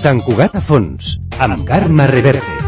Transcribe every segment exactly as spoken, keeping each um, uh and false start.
Sant Cugat a fons, amb Carme Reverte.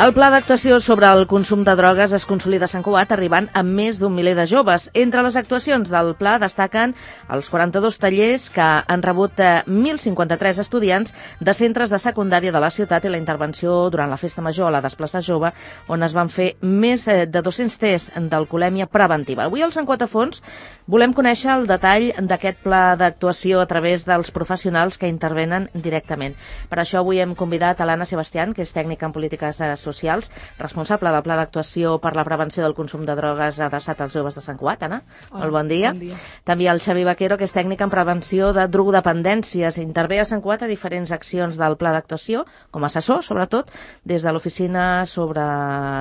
El pla d'actuació sobre el consum de drogues es consolida a Sant Cugat arribant a més d'un miler de joves. Entre les actuacions del pla destaquen els quaranta-dos tallers que han rebut mil cinquanta-tres estudiants de centres de secundària de la ciutat i la intervenció durant la Festa Major a la Desplaçar Jove, on es van fer més de dos-cents tests d'alcoholèmia preventiva. Avui al Sant Cugat a fons volem conèixer el detall d'aquest pla d'actuació a través dels professionals que intervenen directament. Per això avui hem convidat a l'Anna Sebastián, que és tècnica en polítiques socials, socials, responsable del Pla d'Actuació per la Prevenció del Consum de Drogues adreçat als joves de Sant Cugat. Anna, Hola, molt bon dia. bon dia. També el Xavi Vaquero, que és tècnic en prevenció de drogodependències. Intervé a Sant Cugat a diferents accions del Pla d'Actuació, com a assessor, sobretot, des de l'oficina sobre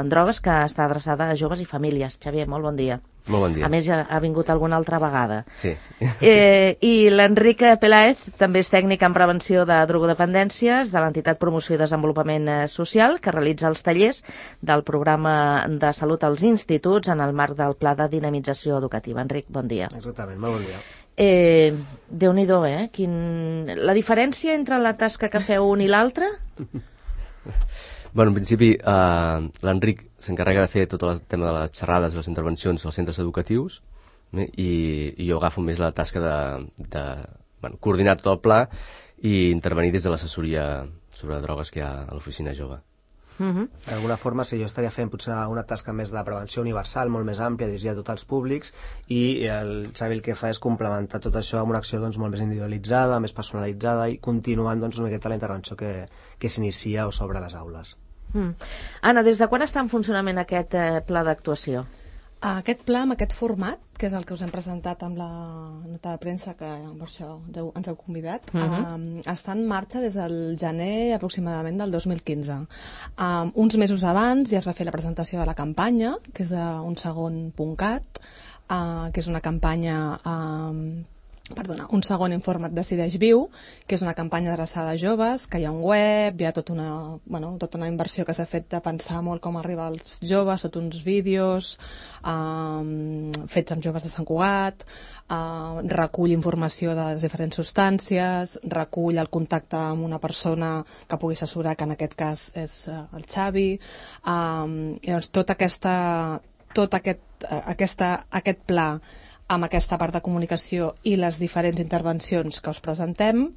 drogues, que està adreçada a joves i famílies. Xavier, molt bon dia. Molt bon dia. A més, ja ha vingut alguna altra vegada. Sí. Eh, I l'Enric Peláez també és tècnic en prevenció de drogodependències de l'entitat Promoció i Desenvolupament Social, que realitza els tallers del programa de salut als instituts en el marc del Pla de Dinamització Educativa. Enric, bon dia. Exactament, molt bon dia. Eh, Déu-n'hi-do, eh? Quin... La diferència entre la tasca que feu un i l'altre? Bueno, en principi, eh, l'Enric s'encarrega de fer tot el tema de les xerrades i les intervencions als centres educatius, eh, i, i jo agafo més la tasca de, de bueno, coordinar tot el pla i intervenir des de l'assessoria sobre drogues que hi ha a l'oficina jove. Uh-huh. D'alguna forma, sí, jo estaria fent potser una tasca més de prevenció universal, molt més àmplia, dirigida a tots els públics, i el Xavi el que fa és complementar tot això amb una acció doncs, molt més individualitzada, més personalitzada i continuant doncs, una miqueta la intervenció que, que s'inicia o s'obre a les aules. Mm. Anna, des de quan està en funcionament aquest eh, pla d'actuació? Aquest pla, amb aquest format, que és el que us hem presentat amb la nota de premsa, que per això ens heu convidat, uh-huh. eh, està en marxa des del gener aproximadament del dos mil quinze. Eh, uns mesos abans ja es va fer la presentació de la campanya, que és un segon punt cat, eh, que és una campanya... Eh, Perdona, un segon informat Decideix Viu, que és una campanya adreçada a joves, que hi ha un web, hi ha tota una, bueno, tota una inversió que s'ha fet de pensar molt com arribar als joves, tots uns vídeos um, fets amb joves de Sant Cugat, uh, recull informació de les diferents substàncies, recull el contacte amb una persona que pugui assessorar, que en aquest cas és uh, el Xavi. Um, llavors, tota aquesta, tot aquest, uh, aquesta, aquest pla amb aquesta part de comunicació i les diferents intervencions que us presentem,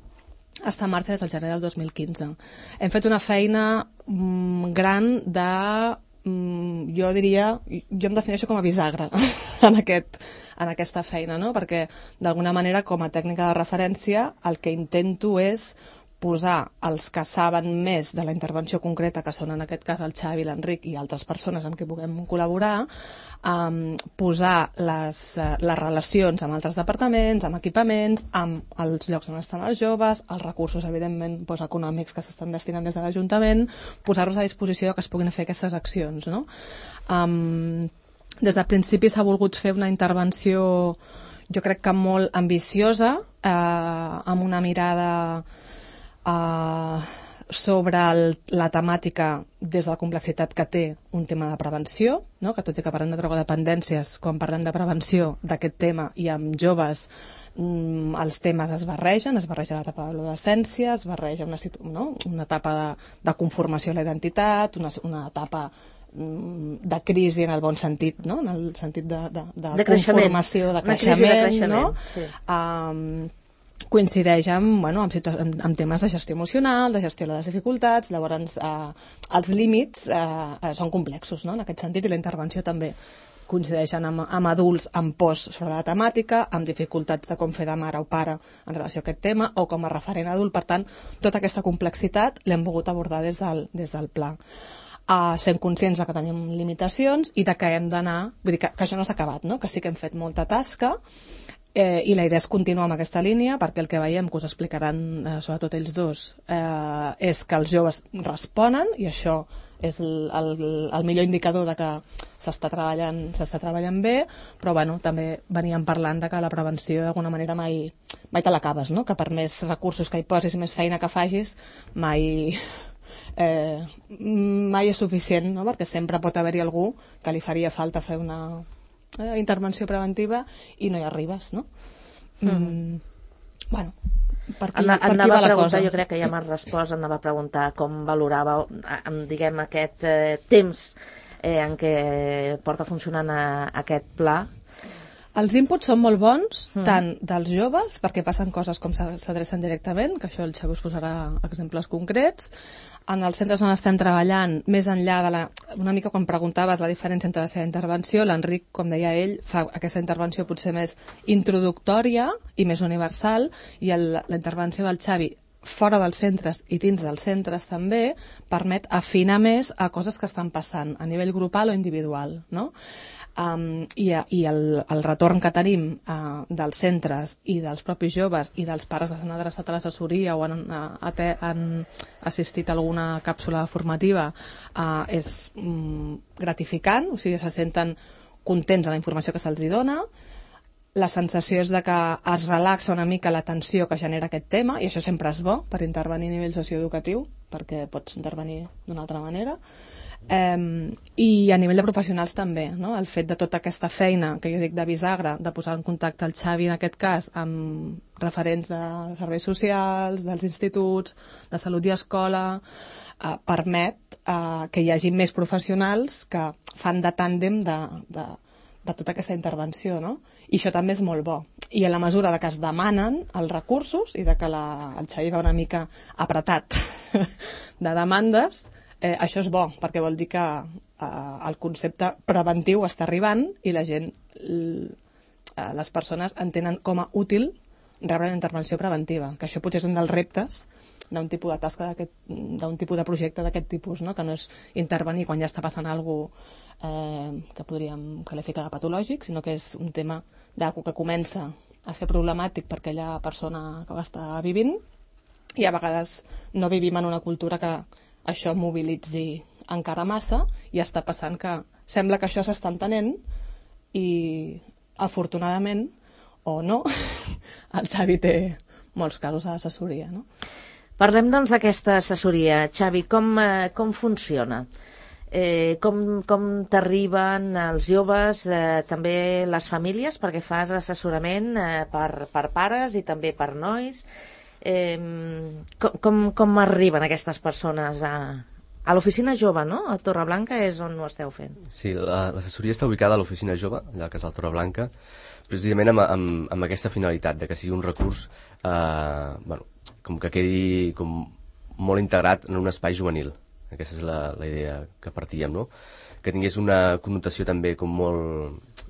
està en marxa des del gener del dos mil quinze. Hem fet una feina mm, gran de, mm, jo diria, jo em defineixo com a bisagra en, aquest, en aquesta feina, no? Perquè d'alguna manera, com a tècnica de referència, el que intento és posar els que saben més de la intervenció concreta, que són en aquest cas el Xavi, l'Enric i altres persones amb qui puguem col·laborar, um, posar les, uh, les relacions amb altres departaments, amb equipaments, amb els llocs on estan els joves, els recursos, evidentment, doncs, econòmics que s'estan destinant des de l'Ajuntament, posar-los a disposició que es puguin fer aquestes accions, no? Um, des del principi s'ha volgut fer una intervenció, jo crec que molt ambiciosa, eh, amb una mirada Uh, sobre el, la temàtica des de la complexitat que té un tema de prevenció, no? Que tot i que parlem de drogodependències, quan parlem de prevenció d'aquest tema i amb joves, mm, els temes es barregen, es barreja l'etapa de l'adolescència, es barreja una, no? una etapa de, de conformació a la identitat, una, una etapa de crisi en el bon sentit, no? En el sentit de, de, de, de conformació, de creixement, de creixement, no? Sí. Um, coincideix amb, bueno, amb, amb, amb temes de gestió emocional, de gestió de les dificultats, llavors eh, els límits eh, són complexos, no? En aquest sentit, i la intervenció també coincideixen amb, amb adults amb pors sobre la temàtica, amb dificultats de com fer de mare o pare en relació a aquest tema, o com a referent adult. Per tant, tota aquesta complexitat l'hem volgut abordar des del, des del pla. Uh, sent conscients que tenim limitacions i de que hem d'anar, vull dir que, que això no s'ha acabat, no? Que sí que hem fet molta tasca Eh, I la idea és continuar amb aquesta línia, perquè el que veiem, que us explicaran eh, sobretot ells dos, eh, és que els joves responen, i això és el, el, el millor indicador de que s'està treballant, s'està treballant bé, però bueno, també veníem parlant de que la prevenció d'alguna manera mai, mai te l'acabes, no? Que per més recursos que hi posis i més feina que facis, mai, eh, mai és suficient, no? Perquè sempre pot haver-hi algú que li faria falta fer una eh, intervenció preventiva i no hi arribes, no? Mm. Mm. Bueno, per aquí, Anna, per aquí anava va a la preguntar, cosa. jo crec que ja m'has respost, anava a preguntar com valorava, diguem, aquest eh, temps eh, en què porta funcionant a, aquest pla. Els inputs són molt bons, Mm. tant dels joves, perquè passen coses com s'a- s'adrecen directament, que això el Xavi us posarà exemples concrets. En els centres on estem treballant, més enllà de la... Una mica quan preguntaves la diferència entre la seva intervenció, l'Enric, com deia ell, fa aquesta intervenció potser més introductòria i més universal, i el, la intervenció del Xavi fora dels centres i dins dels centres també permet afinar més a coses que estan passant a nivell grupal o individual, no? Um, i i el, el retorn que tenim uh, dels centres i dels propis joves i dels pares que s'han adreçat a l'assessoria o han, uh, han assistit a alguna càpsula formativa uh, és um, gratificant, o sigui, se senten contents de la informació que se'ls hi dona. La sensació és de que es relaxa una mica la tensió que genera aquest tema, i això sempre és bo per intervenir a nivell socioeducatiu, perquè pots intervenir d'una altra manera. Um, i a nivell de professionals també, no? El fet de tota aquesta feina que jo dic de bisagra, de posar en contacte el Xavi en aquest cas amb referents de serveis socials, dels instituts, de salut i escola, uh, permet uh, que hi hagi més professionals que fan de tàndem de, de, de tota aquesta intervenció, no? I això també és molt bo. I a la mesura de que es demanen els recursos i de que la, el Xavi va una mica apretat de demandes, Eh, això és bo, perquè vol dir que eh, el concepte preventiu està arribant i la gent, eh, les persones entenen com a útil rebre una intervenció preventiva, que això potser és un dels reptes d'un tipus de tasca, d'un tipus de projecte d'aquest tipus, no? Que no és intervenir quan ja està passant alguna cosa eh, que podríem qualificar de patològic, sinó que és un tema d'alguna que comença a ser problemàtic per aquella persona que ho està vivint, i a vegades no vivim en una cultura que això mobilitzi encara massa, i està passant que sembla que això s'està entenent i afortunadament o no el Xavi té molts casos a l'assessoria, no? Parlem doncs d'aquesta assessoria. Xavi, com, eh, com funciona? Eh, com com t'arriben els joves, eh, també les famílies, perquè fas assessorament eh, per, per pares i també per nois. Eh, com, com, com arriben aquestes persones a, a l'oficina jove, no? A Torreblanca és on ho esteu fent. Sí, l'assessoria està ubicada a l'oficina jove, allà al Casal Torreblanca, precisament amb, amb, amb aquesta finalitat, de que sigui un recurs eh, bueno, com que quedi com molt integrat en un espai juvenil. Aquesta és la, la idea que partíem, no? Que tingués una connotació també com molt,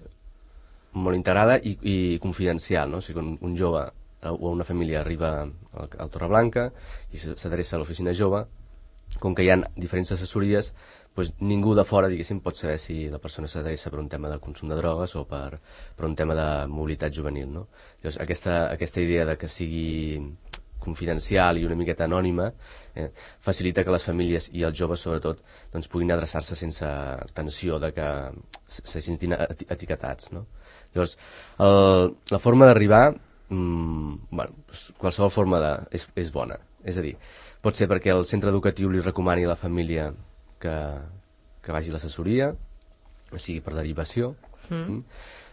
molt integrada i, i confidencial, no? O sigui, un, un jove o una família arriba al, al Torreblanca i s'adreça a l'oficina jove, com que hi ha diferents assessories, doncs ningú de fora, diguéssim, pot saber si la persona s'adreça per un tema de consum de drogues o per, per un tema de mobilitat juvenil, no? Llavors, aquesta, aquesta idea de que sigui confidencial i una miqueta anònima eh, facilita que les famílies i els joves, sobretot, doncs, puguin adreçar-se sense tensió de que se sentin etiquetats, no? Llavors, el, la forma d'arribar Mm, bueno, qualsevol forma de, és, és bona, és a dir, pot ser perquè el centre educatiu li recomani a la família que, que vagi a l'assessoria, o sigui per derivació, mm.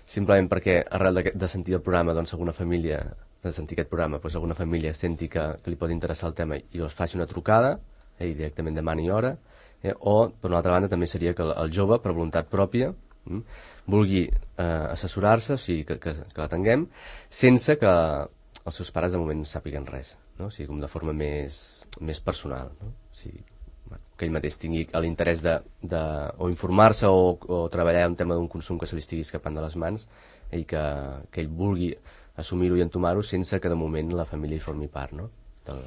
simplement perquè arrel de, de sentir el programa, doncs alguna família, de sentir aquest programa, doncs alguna família senti que, que li pot interessar el tema i els faci una trucada eh, i directament demani hora, eh, o per una altra banda també seria que el, el jove, per voluntat pròpia, mm, vulgui eh, assessorar-se, o sigui, que, que, que l'atenguem, sense que els seus pares de moment sàpiguen res, no? O sigui, com de forma més, més personal, no? O sigui, bueno, que ell mateix tingui l'interès de, de o informar-se o, o treballar un tema d'un consum que se li estigui escapant de les mans i que, que ell vulgui assumir-ho i entomar-ho sense que de moment la família hi formi part, no? Del,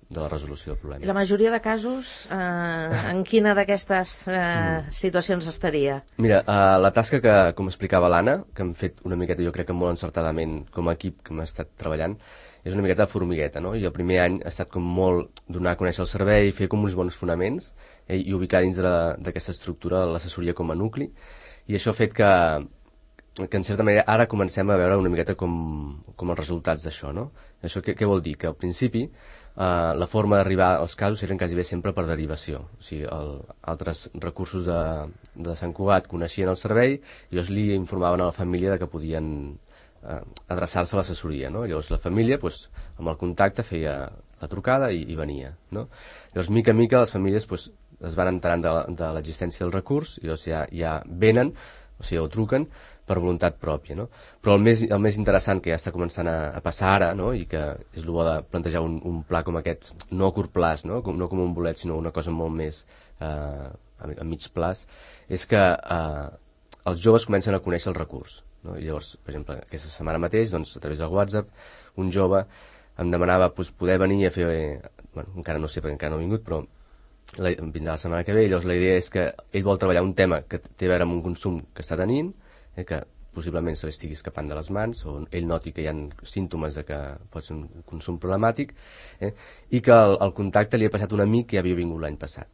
de la resolució del problema. I la majoria de casos, eh, en quina d'aquestes eh, mm. situacions estaria? Mira, uh, la tasca que, com explicava l'Anna, que hem fet una miqueta, jo crec que molt encertadament com a equip que hem estat treballant, és una miqueta de formigueta, no? I el primer any ha estat com molt donar a conèixer el servei, fer com uns bons fonaments eh, i ubicar dins d'aquesta estructura l'assessoria com a nucli, i això ha fet que, que en certa manera ara comencem a veure una miqueta com, com els resultats d'això, no? Això què, què vol dir? Que al principi Uh, la forma d'arribar als casos eren quasi bé sempre per derivació. O sigui, el, altres recursos de, de Sant Cugat coneixien el servei i llavors li informaven a la família de que podien uh, adreçar-se a l'assessoria, no? Llavors la família, pues, amb el contacte, feia la trucada i, i venia, no? Llavors, mica en mica, les famílies pues, es van enterant de, de l'existència del recurs i llavors ja, ja venen, o sigui, o truquen per voluntat pròpia, no? Però el més, el més interessant que ja està començant a, a passar ara, no? I que és el bo de plantejar un, un pla com aquest, no a curt plaç, no? Com, no com un bolet, sinó una cosa molt més eh, a, a mig plaç, és que eh, els joves comencen a conèixer el recurs, no? I llavors, per exemple, aquesta setmana mateix, doncs, a través del WhatsApp, un jove em demanava pues, poder venir a fer... Eh, bueno, encara no sé perquè encara no ha vingut, però la, vindrà la setmana que ve, i llavors la idea és que ell vol treballar un tema que té a veure amb un consum que està tenint, eh, que possiblement se li estigui escapant de les mans, o ell noti que hi ha símptomes de que pot ser un consum problemàtic, eh, i que el, el contacte li ha passat un amic que ja havia vingut l'any passat.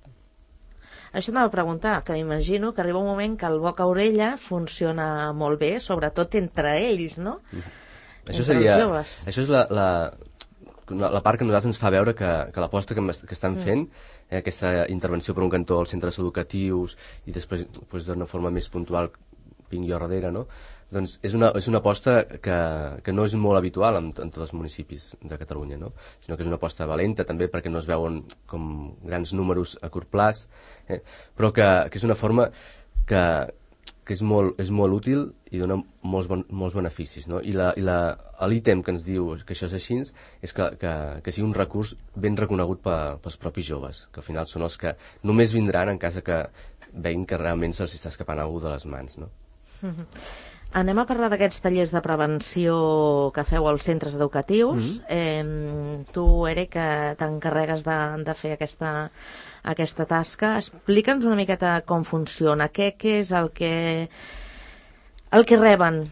Això anava a preguntar, que m'imagino que arriba un moment que el boca-orella funciona molt bé, sobretot entre ells, no? Mm-hmm. Això seria, això és la, la, la part que a nosaltres ens fa veure que, que l'aposta que, que estan fent, eh, aquesta intervenció per un cantó als centres educatius i després pues, d'una forma més puntual vinc jo darrere, no? Doncs és una, és una aposta que, que no és molt habitual en, en tots els municipis de Catalunya, no? Sinó que és una aposta valenta també perquè no es veuen com grans números a curt plaç, eh? Però que, que és una forma que, que és, molt, és molt útil i dona molts, bon, molts beneficis, no? I l'ítem que ens diu que això és així és que, que, que sigui un recurs ben reconegut pe, pels propis joves, que al final són els que només vindran en cas que veguin que realment se'ls està escapant algú de les mans, no? Mm-hmm. Anem a parlar d'aquests tallers de prevenció que feu als centres educatius. Mm-hmm. eh, tu, Eric, que t'encarregues de, de fer aquesta, aquesta tasca, explica'ns una miqueta com funciona, què, què és el que, el que reben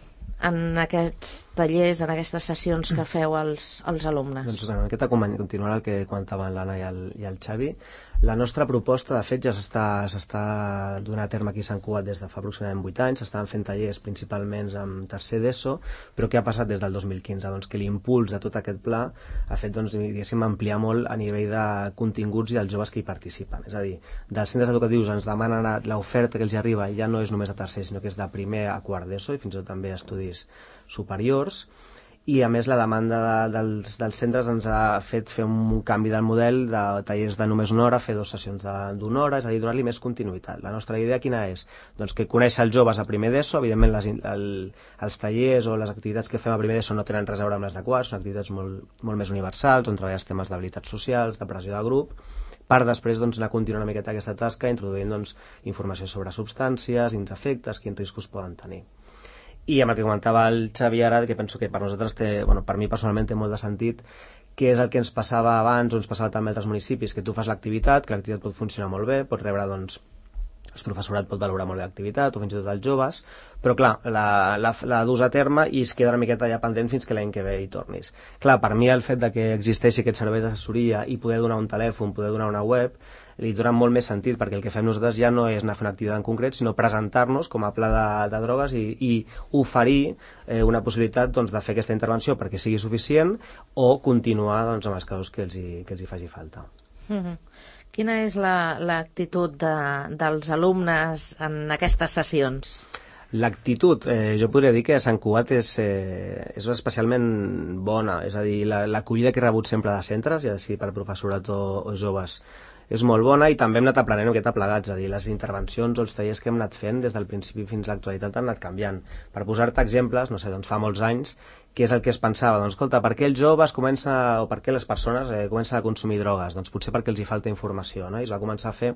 en aquests tallers, en aquestes sessions que feu als, als alumnes. Doncs una miqueta continuant el que comentaven l'Anna i, el, i el Xavi. La nostra proposta, de fet, ja s'està donant a terme aquí a Sant Cugat des de fa aproximadament vuit anys. S'estaven fent tallers principalment amb tercer d'ESO, però què ha passat des del dos mil quinze? Doncs que l'impuls de tot aquest pla ha fet, doncs, diguéssim, ampliar molt a nivell de continguts i dels joves que hi participen. És a dir, dels centres educatius ens demanen l'oferta que els arriba ja no és només a tercer, sinó que és de primer a quart d'ESO i fins i tot també a estudis superiors. I a més la demanda de, dels, dels centres ens ha fet fer un canvi del model de tallers de només una hora, fer dues sessions d'una hora, és a dir, donar-li més continuïtat. La nostra idea quina és? Doncs que conèixer els joves a primer d'ESO, evidentment les, el, els tallers o les activitats que fem a primer d'ESO no tenen res a veure amb les de quart, són activitats molt, molt més universals, on treballes temes d'habilitats socials, de pressió de grup, per després doncs, anar continuant una miqueta aquesta tasca, introduint doncs, informació sobre substàncies, quins efectes, quins riscos poden tenir. I amb el que comentava el Xavi ara, que penso que per nosaltres té, bueno, per mi personalment té molt de sentit, que és el que ens passava abans o ens passava també a altres municipis, que tu fas l'activitat, que l'activitat pot funcionar molt bé, pot rebre, doncs, el professorat pot valorar molt bé l'activitat, o fins i tot els joves, però clar, la, la, la dus a terme i es queda una miqueta ja pendent fins que l'any que ve hi tornis. Clar, per mi el fet de que existeixi aquest servei d'assessoria i poder donar un telèfon, poder donar una web, li dona molt més sentit, perquè el que fem nosaltres ja no és anar a fer una activitat en concret, sinó presentar-nos com a pla de, de drogues i, i oferir eh, una possibilitat doncs, de fer aquesta intervenció perquè sigui suficient o continuar doncs, amb els casos que els hi, que els hi faci falta. Mm-hmm. Quina és l'actitud la, de, dels alumnes en aquestes sessions? L'actitud, eh, jo podria dir que a Sant Cugat és, eh, és especialment bona, és a dir, l'acollida la, que he rebut sempre de centres, ja sigui per professorat o, o joves, és molt bona i també hem anat aprenent una miqueta plegats, és a dir, les intervencions o els tallers que hem anat fent des del principi fins a l'actualitat han anat canviant. Per posar-te exemples, no sé, doncs fa molts anys què és el que es pensava? Doncs escolta, per què els joves comencen, a, o per què les persones eh, comencen a consumir drogues? Doncs potser perquè els hi falta informació, no? I es va començar a fer,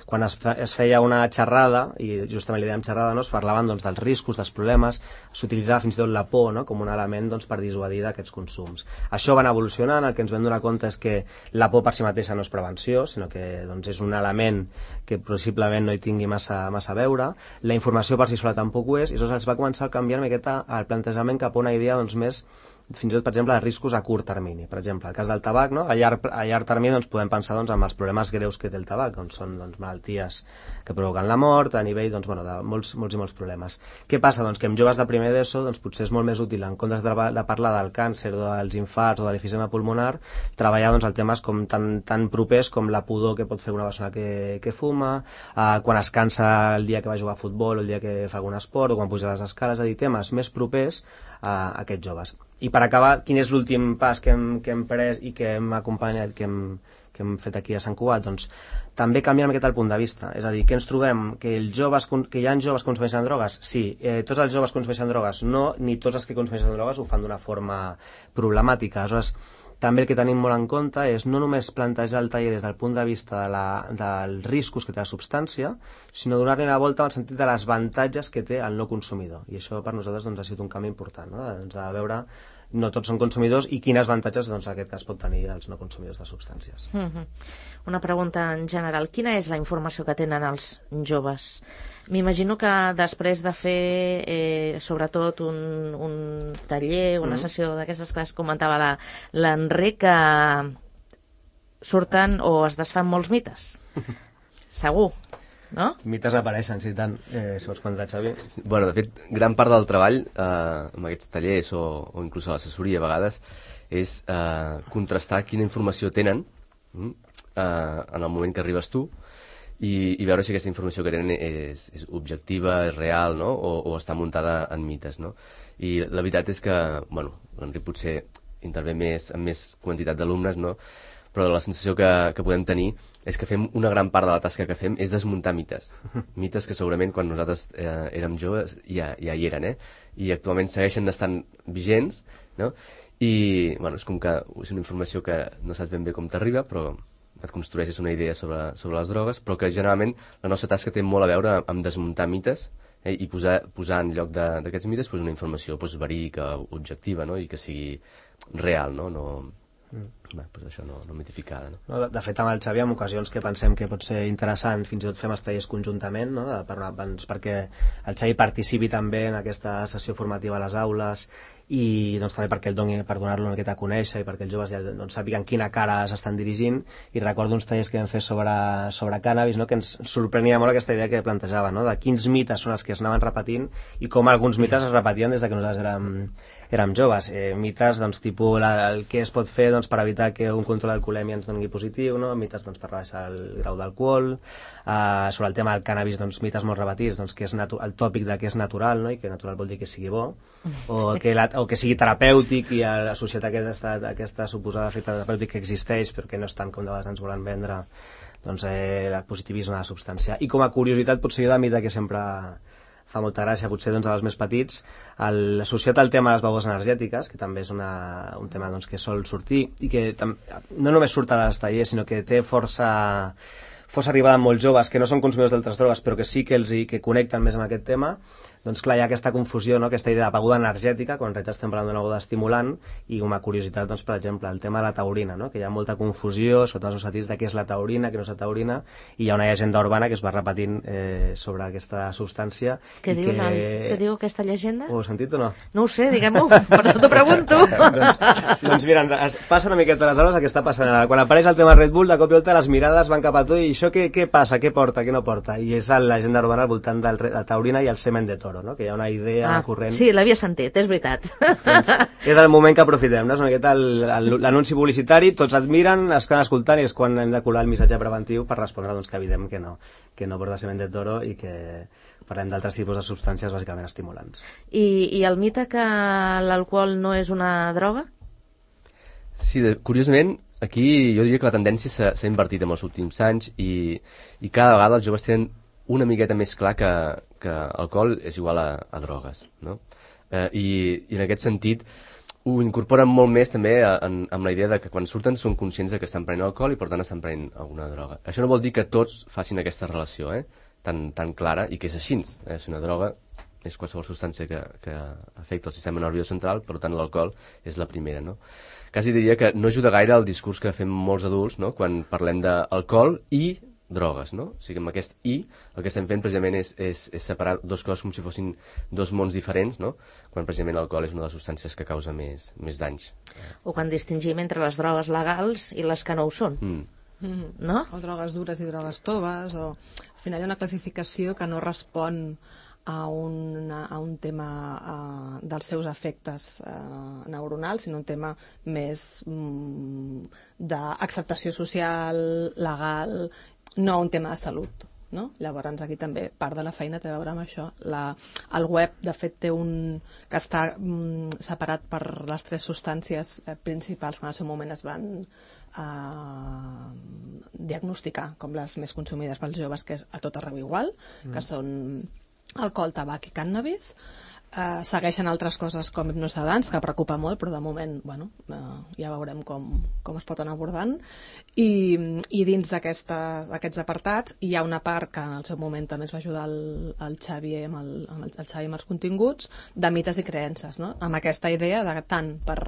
quan es, fe, es feia una xerrada, i justament li dèiem xerrada, no? Es parlaven doncs, dels riscos, dels problemes, s'utilitzava fins i tot la por, no? Com un element doncs, per dissuadir d'aquests consums. Això va anar evolucionant, el que ens vam donar compte és que la por per si mateixa no és prevenció, sinó que doncs, és un element que possiblement no hi tingui massa, massa a veure, la informació per si sola tampoc ho és, i llavors es va començar a canviar una miqueta el plantejament cap a una idea doncs, més, fins i tot, per exemple, de riscos a curt termini. Per exemple, el cas del tabac, no? a, llarg, a llarg termini doncs, podem pensar doncs, en els problemes greus que té el tabac, doncs, són doncs, malalties que provoquen la mort, a nivell doncs, bueno, de molts, molts i molts problemes. Què passa? Doncs que amb joves de primer d'ESO doncs, potser és molt més útil, en comptes de, de parlar del càncer, dels infarts o de l'efisema pulmonar, treballar doncs, el temes com tan, tan propers com la pudor que pot fer una persona que, que fuma, eh, quan es cansa el dia que va jugar a futbol o el dia que fa algun esport o quan puja les escales, és a dir, temes més propers a aquests joves. I per acabar, quin és l'últim pas que hem, que hem pres i que hem acompanyat, que hem, que hem fet aquí a Sant Cugat? Doncs també canviem aquest el punt de vista. És a dir, que ens trobem que, els joves, que hi ha joves que consumeixen drogues? Sí. Eh, tots els joves consumeixen drogues? No, ni tots els que consumeixen drogues ho fan d'una forma problemàtica. Aleshores, també el que tenim molt en compte és no només plantejar el taller des del punt de vista de la, dels riscos que té la substància, sinó donar-li la volta en el sentit de les avantatges que té el no consumidor. I això per nosaltres doncs, ha sigut un canvi important, no? Doncs, a veure, no tots són consumidors i quines avantatges doncs, en aquest cas pot tenir els no consumidors de substàncies. Mm-hmm. Una pregunta en general. Quina és la informació que tenen els joves? M'imagino que després de fer eh, sobretot un, un taller, una mm-hmm. sessió d'aquestes classes, comentava l'Enric, que surten o es desfan molts mites. Segur, no? Mites apareixen, sí, tant. Eh, si vols comentar, Xavi. Bueno, de fet, gran part del treball eh, amb aquests tallers o, o inclús a l'assessoria a vegades és eh, contrastar quina informació tenen eh, en el moment que arribes tu i, i veure si aquesta informació que tenen és, és objectiva, és real, no? o, o està muntada en mites, no? I la veritat és que, bueno, l'Enric potser intervé més, amb més quantitat d'alumnes, no? Però la sensació que, que podem tenir és que fem una gran part de la tasca que fem és desmuntar mites. Mites que segurament quan nosaltres eh, érem joves ja, ja hi eren, eh? I actualment segueixen estant vigents, no? I, bueno, és com que és una informació que no saps ben bé com t'arriba, però et construeixes una idea sobre, sobre les drogues, però que generalment la nostra tasca té molt a veure amb desmuntar mites eh, i posar, posar en lloc d'aquests mites pues, una informació pues, verídica, objectiva, no? I que sigui real, no? no mm. Bé, pues això no, no mitificada, no? No, de, de fet, amb el Xavi, en ocasions que pensem que pot ser interessant, fins i tot fem els tallers conjuntament, no? de, per, perquè el Xavi participi també en aquesta sessió formativa a les aules i doncs, també perquè el doni, per donar-lo una miqueta a conèixer i perquè els joves ja doncs, sàpiguen quina cara s'estan dirigint. I recordo uns tallers que vam fer sobre, sobre cànnabis, no? Que ens sorprenia molt aquesta idea que plantejava, no? De quins mites són els que es anaven repetint i com alguns mites es repetien des de que nosaltres érem, érem joves. Eh, mites, doncs, tipus la, el que es pot fer doncs, per evitar que un control d'alcoholèmia ens doni positiu, no? Mites doncs, per rebaixar el grau d'alcohol, eh, sobre el tema del cànnabis, doncs, mites molt repetits, doncs, que és el tòpic de que és natural, no? I que natural vol dir que sigui bo, o que, la, o que sigui terapèutic i associat a aquesta, a aquesta suposada efecte terapèutic que existeix, però que no és tant com de vegades ens volen vendre, doncs, eh, el positivisme de la substància. I com a curiositat, potser jo de mite que sempre fa molta gràcia, potser doncs, als més petits, el, associat al tema de les begudes energètiques, que també és una, un tema doncs, que sol sortir i que tam, no només surt a les tallers, sinó que té força, força arribada amb molts joves que no són consumidors d'altres drogues, però que sí que els hi, que connecten més amb aquest tema. Doncs clar, hi ha aquesta confusió, no? Aquesta idea de beguda energètica, quan en realitat estem parlant d'una beguda estimulant, i com a curiositat, doncs, per exemple, el tema de la taurina, no? Que hi ha molta confusió, sobretot els sentits de què és la taurina, què no és la taurina, i hi ha una llegenda urbana que es va repetint eh, sobre aquesta substància. Què diu, que... què diu aquesta llegenda? Ho heu sentit o no? No ho sé, diguem-ho, però t'ho pregunto. doncs, doncs mira, es passa una miqueta a les aules el que està passant ara. Quan apareix el tema Red Bull, de cop i volta les mirades van cap a tu i això què, què passa, què porta, què no porta? I és la llegenda urbana al voltant de la taurina i el semen de toro, no? Que hi ha una idea ah, corrent. Sí, l'havia sentit, és veritat. Doncs, és el moment que aprofitem, no? És una miqueta l'anunci publicitari, tots et miren, es queden escoltant i és quan hem de colar el missatge preventiu per respondre doncs, que evident que no, que no porta semen de toro i que parlem d'altres tipus de substàncies bàsicament estimulants. I, i el mite que l'alcohol no és una droga? Sí, de, curiosament, aquí jo diria que la tendència s'ha invertit en els últims anys i, i cada vegada els joves tenen una miqueta més clar que, que alcohol és igual a, a drogues, no? Eh, i, I en aquest sentit, ho incorporen molt més també en, amb la idea de que quan surten són conscients de que estan prenent alcohol i per tant estan prenent alguna droga. Això no vol dir que tots facin aquesta relació, eh? tan, tan clara, i que és així. Eh? Si una droga és qualsevol substància que, que afecta el sistema nerviós central, per tant l'alcohol és la primera. No? Quasi diria que no ajuda gaire el discurs que fem molts adults, no? Quan parlem d'alcohol i drogues, no? O sigui, amb aquest i el que estem fent precisament és, és, és separar dos coses com si fossin dos mons diferents, no? Quan precisament l'alcohol és una de les substàncies que causa més, més danys. O quan distingim entre les drogues legals i les que no ho són. Mm. Mm. No? O drogues dures i drogues toves, o al final hi ha una classificació que no respon a un, a un tema uh, dels seus efectes uh, neuronals, sinó un tema més mm, d'acceptació social, legal, no un tema de salut. No? Llavors aquí també part de la feina té a veure amb això. La, el web de fet té un que està mm, separat per les tres substàncies eh, principals que en el seu moment es van eh, diagnosticar com les més consumides pels joves, que és a tot arreu igual, mm. que són alcohol, tabac i cànnabis. Uh, segueixen altres coses com hipnosedants, que preocupa molt, però de moment bueno, uh, ja veurem com, com es pot anar abordant. I, i dins d'aquests apartats hi ha una part que en el seu moment també ens va ajudar el, el Xavi amb, el, amb el, el Xavi amb els continguts, de mites i creences, no? Amb aquesta idea de tant per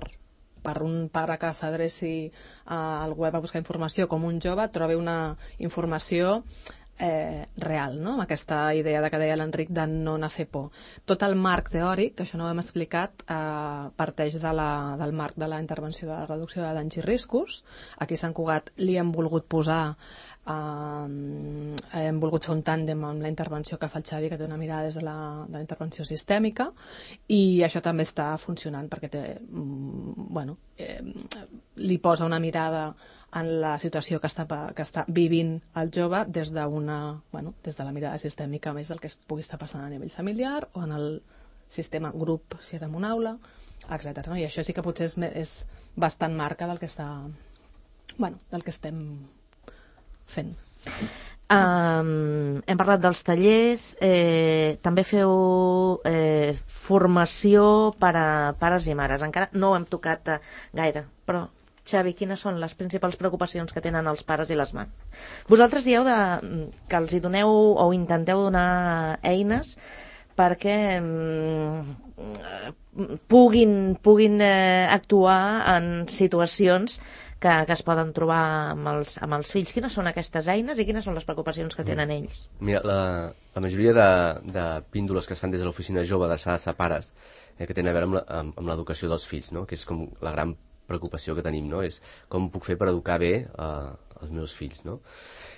per un pare que s'adreci uh, al web a buscar informació com un jove trobi una informació Eh, real, no? Amb aquesta idea de que deia l'Enric de no anar a fer por. Tot el marc teòric, que això no ho hem explicat, eh, parteix de la, del marc de la intervenció de la reducció de danys i riscos. Aquí a Sant Cugat li hem volgut posar eh, hem volgut fer un tàndem amb la intervenció que fa el Xavi, que té una mirada des de la, de la intervenció sistèmica, i això també està funcionant perquè té, mm, bueno, eh, li posa una mirada en la situació que està, que està vivint el jove des d'una, bueno, des de la mirada sistèmica més del que es pugui estar passant a nivell familiar o en el sistema grup, si és en una aula, etcètera. No? I això sí que potser és, és bastant marca del que està, bueno, del que estem fent. Um, hem parlat dels tallers, eh, també feu eh, formació per a pares i mares. Encara no ho hem tocat eh, gaire, però Xavi, quines són les principals preocupacions que tenen els pares i les mares? Vosaltres dieu de, que els hi doneu o intenteu donar eines perquè mm, puguin, puguin eh, actuar en situacions que, que es poden trobar amb els, amb els fills. Quines són aquestes eines i quines són les preocupacions que tenen ells? Mira, la, la majoria de, de píndoles que es fan des de l'oficina jove adreçades a pares eh, que tenen a veure amb l'educació dels fills, no? Que és com la gran preocupació que tenim, no? És com puc fer per educar bé eh, els meus fills, no?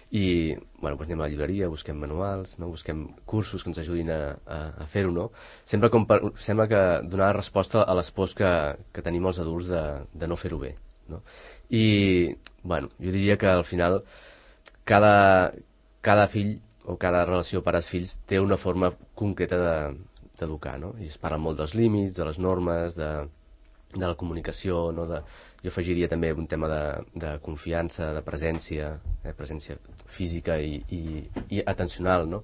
I, bueno, doncs anem a la llibreria, busquem manuals, no? Busquem cursos que ens ajudin a, a, a fer-ho, no? Sempre com per, sembla que donar resposta a les pors que, que tenim els adults de, de no fer-ho bé, no? I, bueno, jo diria que al final cada, cada fill o cada relació pares-fills té una forma concreta d'educar, no? I es parla molt dels límits, de les normes, de de la comunicació, no? De, jo afegiria també un tema de, de confiança, de presència, eh? presència física i, i, i atencional, no?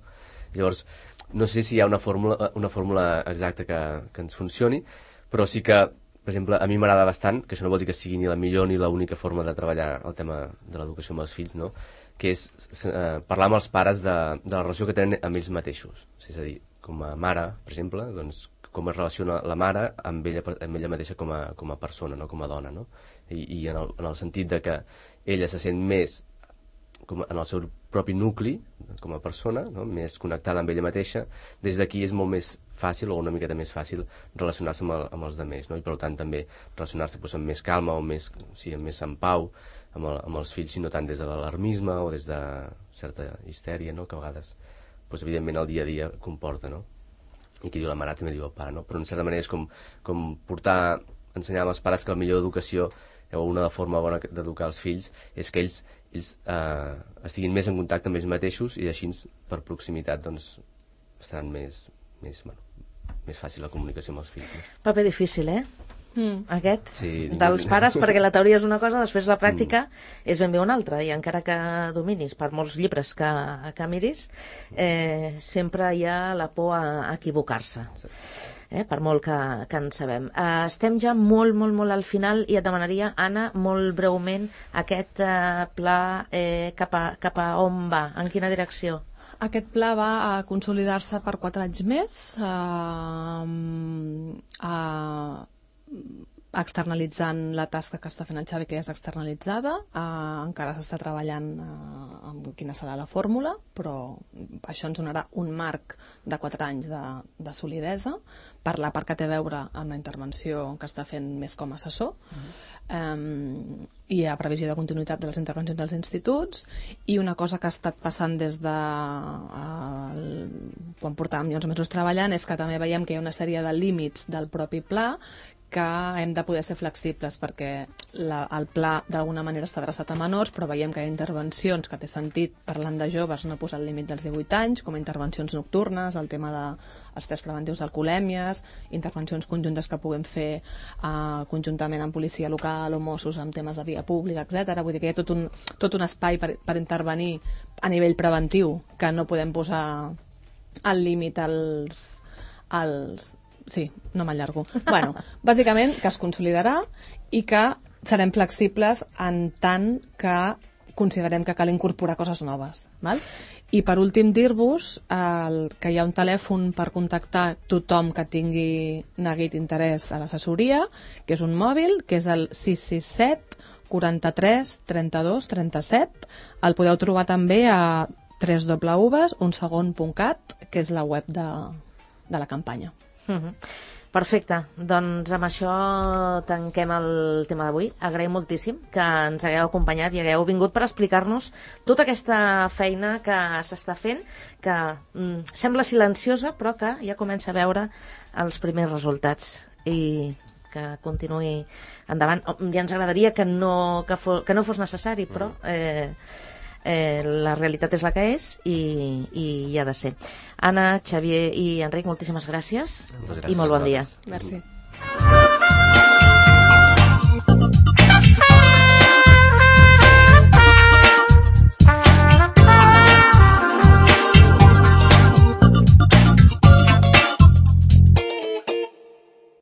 Llavors, no sé si hi ha una fórmula, una fórmula exacta que, que ens funcioni, però sí que, per exemple, a mi m'agrada bastant, que això no vol dir que sigui ni la millor ni l'única forma de treballar el tema de l'educació amb els fills, no? Que és eh, parlar amb els pares de, de la relació que tenen amb ells mateixos. És a dir, com a mare, per exemple, doncs, com es relaciona la mare amb ella, amb ella mateixa com a, com a persona, no? Com a dona, no? I, i en, el, en el sentit de que ella se sent més com en el seu propi nucli, com a persona, no? Més connectada amb ella mateixa, des d'aquí és molt més fàcil o una miqueta més fàcil relacionar-se amb, el, amb els altres, no? I per tant també relacionar-se doncs, amb més calma o més, sí, amb més en pau amb, el, amb els fills, i no tant des de l'alarmisme o des de certa histèria, no? Que a vegades, doncs, evidentment, el dia a dia comporta, no? I qui diu la mare també diu el pare, no? Però en certa manera és com, com portar, ensenyar als pares que la millor educació o una forma bona d'educar els fills és que ells, ells eh, estiguin més en contacte amb ells mateixos i així per proximitat doncs estaran més, més, bueno, més fàcil la comunicació amb els fills, no? Paper difícil, eh? Mm. Aquest, sí, dels pares, perquè la teoria és una cosa, després la pràctica mm. és ben bé una altra, i encara que dominis per molts llibres que, que miris, eh, sempre hi ha la por a equivocar-se. Sí. eh, per molt que, que en sabem. Uh, estem ja molt, molt, molt al final i et demanaria, Anna, molt breument, aquest uh, pla eh, cap, a, cap a on va? En quina direcció? Aquest pla va a consolidar-se per quatre anys més, a, a, externalitzant la tasca que està fent el Xavi, que ja és externalitzada. Uh, encara s'està treballant uh, amb quina serà la fórmula, però això ens donarà un marc de quatre anys de, de solidesa per la part que té a veure amb la intervenció que està fent més com a assessor. Uh-huh. um, i a previsió de continuïtat de les intervencions dels instituts, i una cosa que ha estat passant des de uh, el, quan portàvem ja uns mesos treballant és que també veiem que hi ha una sèrie de límits del propi pla que hem de poder ser flexibles, perquè la, el pla d'alguna manera està adreçat a menors, però veiem que hi ha intervencions que té sentit, parlant de joves, no posar el límit dels divuit anys, com intervencions nocturnes, el tema dels tests preventius d'alcoholèmies, intervencions conjuntes que puguem fer uh, conjuntament amb policia local o Mossos amb temes de via pública, etcètera. Vull dir que hi ha tot un, tot un espai per, per intervenir a nivell preventiu, que no podem posar el límit als... als Sí, no m'allargo. Bueno, bàsicament que es consolidarà i que serem flexibles en tant que considerem que cal incorporar coses noves. Val? I per últim dir-vos el, que hi ha un telèfon per contactar tothom que tingui neguit interès a l'assessoria, que és un mòbil, que és el sis sis set quaranta-tres trenta-dos trenta-set. El podeu trobar també a w w w punt un segon punt cat, que és la web de, de la campanya. Uh-huh. Perfecte, doncs amb això tanquem el tema d'avui. Agraïm moltíssim que ens hagueu acompanyat i hagueu vingut per explicar-nos tota aquesta feina que s'està fent, que mm, sembla silenciosa però que ja comença a veure els primers resultats i que continuï endavant. Ja ens agradaria que no, que fos, que no fos necessari, però eh, Eh, la realitat és la que és i, i hi ha de ser. Anna, Xavier i Enric, moltíssimes gràcies, gràcies i molt bon dia. Merci.